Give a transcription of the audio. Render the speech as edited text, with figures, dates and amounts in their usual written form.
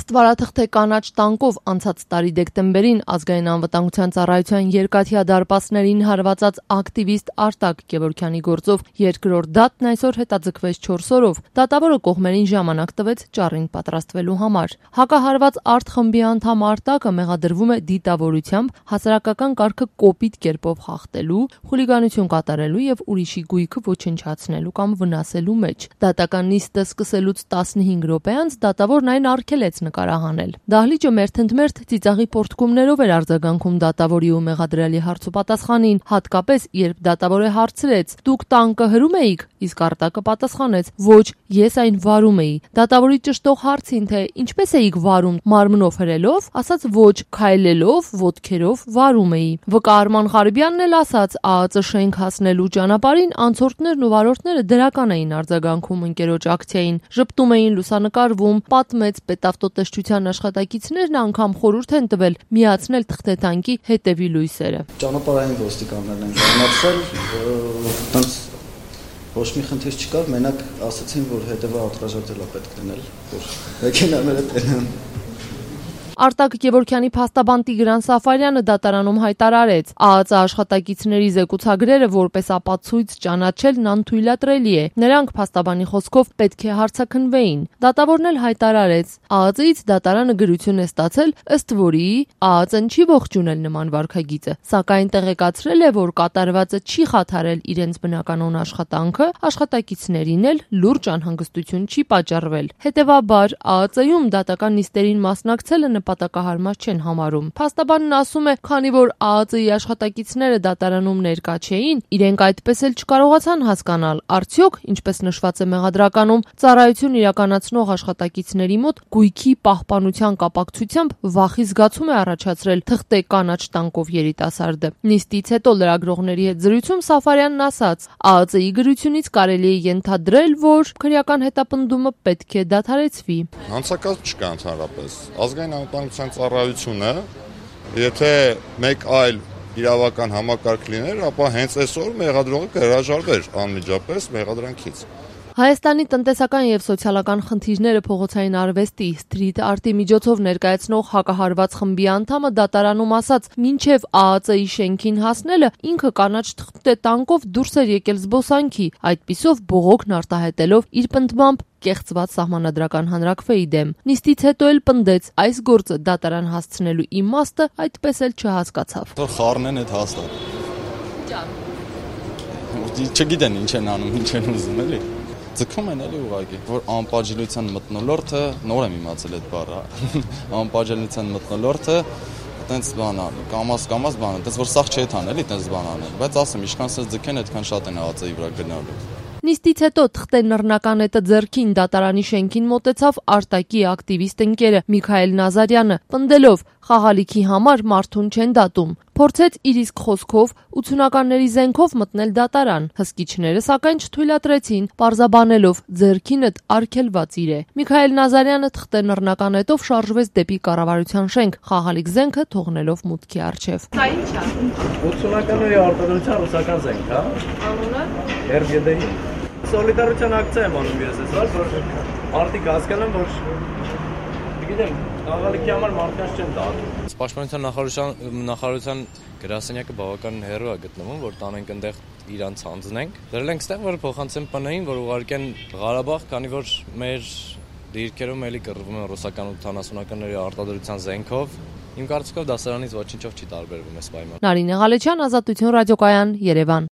Աստվարաթղթե կանաչ տանկով անցած տարի դեկտեմբերին Ազգային անվտանգության ծառայության երկաթյա դարպասներին հարվածած ակտիվիստ Արտակ Գևորգյանի գործով երկրորդ դատն այսօր հետաձգվեց 4 օրով։ Դատավորը կողմերին ժամանակ տվեց ճառին պատրաստվելու համար։ Հակահարված արտխմբի անդամ Արտակը մեղադրվում է դիտավորությամբ, հասարակական կարգը կոպիտ կերպով խախտելու, խուլիգանություն կատարելու եւ ուրիշի գույքը ոչնչացնելու կամ վնասելու մեջ։ Դատական նիստը սկսելուց 15 րոպե անց դատավորն այն արգելեց նկարահանել։ Դահլիճը մերթընդմերթ ծիծաղի պորտկումներով էր արձագանքում դատավորի ու մեղադրյալի հարցուպատասխանին, հատկապես երբ դատավորը հարցրեց. «Դուք տանկը հրում էիք», իսկ Արտակը պատասխանեց. «Ոչ, ես այն վարում էի»։ Դատավորի ճշտող հարցին, թե ինչպես էիք վարում, մարմնով հրելով, ասաց. «Ոչ, քայլելով, ոտքերով վարում էի»։ ՎԿ Արման Ղարիբյանն էլ ասաց. ԱԱԾ շենք հասնելու ճանապարհին անցորդներն ու վարորդները դրական էին արձագանքում ընկերոջ ակցիային, ժպտում էին, լուսանկարվում, պատմեց պետավտոտեսչության աշխատակիցներն անգամ խորհուրդ են տվել միացնել թղթետանկի հետևի լույսերը։ Ճանապարհային ոստիկաններն են ժամանացել, տենց ոչ մի խնդիր չկար, մենակ ասացին, որ հետևը արտաժայթել է պետք դնել, որ մեքենաները տենան։ Արտակ Գևորգյանի փաստաբան Տիգրան Սաֆարյանը դատարանում հայտարարեց. ԱԱԾ աշխատակիցների զեկուցագրերը որպես ապացույց ճանաչելն անթույլատրելի է։ Նրանք փաստաբանի խոսքով պետք է հարցաքննվեին։ Դատավորն էլ հայտարարեց. ԱԱԾ-ից դատարանը գրություն է ստացել, ըստ որի ԱԱԾ-ն չի ողջունել նման վարքագիծը, սակայն տեղեկացրել է, որ կատարվածը չի խաթարել իրենց բնականոն աշխատանքը, աշխատակիցներին էլ լուրջ անհանգստություն չի պատճառվել։ Հետևաբար ԱԱԾ-ում դատական նիստերին մասնակցելը նպատակահարմար չեն համարում։ Փաստաբանն ասում է, քանի որ ԱԱԾ-ի աշխատակիցները դատարանում ներկա չէին, իրենք այդպես էլ չկարողացան հասկանալ, արդյոք, ինչպես նշված է մեղադրականում, ծառայություն իրականացնող աշխատակիցների մոտ գույքի պահպանության կապակցությամբ վախի զգացում է առաջացրել թղթե կանաչ տանկով երիտասարդը։ Նիստից հետո լրագրողների հետ զրույցում Սաֆարյանն ասաց. ԱԱԾ-ի գրությունից կարելի է ենթադրել, որ քրեական հետապնդումը պետք է դադարեցվի։ Հանցակաց չկա ընդհանրապես։ Ազգային անվտանգության ծառայությունը, եթե մեկ այլ իրավական համակարգ լիներ, ապա հենց այսօր մեղադրողը կհրաժարվեր անմիջապես մեղադրանքից։ Հայաստանի տնտեսական եւ սոցիալական խնդիրները փողոցային արվեստի սթրիթ արտի միջոցով ներկայացնող հակահարված խմբի անդամը դատարանում ասաց. մինչեւ ԱԱԾ-ի շենքին հասնելը ինքը կանաչ թղթե տանկով դուրս էր եկել զբոսանքի, այդպիսով բողոքն արտահայտելով իր պնդմամբ կեղծված սահմանադրական հանրաքվեի դեմ։ Նիստից հետո էլ պնդեց, այս գործը դատարան հասցնելու իմաստը այդպես էլ չհասկացավ։ Խառնեն այդ հաստատ։ Չգիտեն ինչ են անում, ինչ են ուզում էլի։ Ձգում են էլի ուղղակի, որ անպատժելիության մթնոլորտը, նոր եմ իմացել այդ բառը, անպատժելիության մթնոլորտը այտենց բան է, կամաց բան է, այտենց որ սաղ չէ թան էլի այտենց բան անել, բայց ասեմ, ինչքան սենց ձգեն, այդքան շատ են ԱԱԾ-ի վրա գնալու։ Նիստից հետո թղթե նռնականետը ձեռքին դատարանի շենքին մոտեցավ Արտակի ակտիվիստ ընկերը Միքայել Նազարյանը, պնդելով խաղալիքի համար մարդուն չեն դատում։ Փորձեց իր իսկ խոսքով 80-ականների զենքով մտնել դատարան։ Հսկիչները սակայն չթույլատրեցին, պարզաբանելով ձեռքինդ արգելված իր է։ Միքայել Նազարյանը թղթե նռնականետով շարժվեց դեպի կառավարության շենք, խաղալիք զենքը թողնելով մուտքի առջև։ Սա ի՞նչ է։ 80-ականների արտադրության ռուսական զենք, հա։ Անունը։ RGD-ի։ Սոլիդարության ակցիա եմ անում ես այսօր, որ արդիկ հասկանան, որ գիտեմ, խաղալիքի համար մարդկանց չեն դատում։ Պաշտպանության նախարարության գրասենյակը բավական հեռու է գտնվում, որ տանենք այնտեղ իրանց հանձնենք։ Դրել ենք ստեղ, որ փոխանցեն ՊՆ-ին, որ ուղարկեն Ղարաբաղ, քանի որ մեր դիրքերում էլի կռվում են ռուսական 80-ականների արտադրության զենքով։ Իմ կարծիքով դա սրանից ոչինչով չի տարբերվում այս պայմանը։ Նարինե Ղալեչյան, Ազատություն ռադիոկայան, Երևան։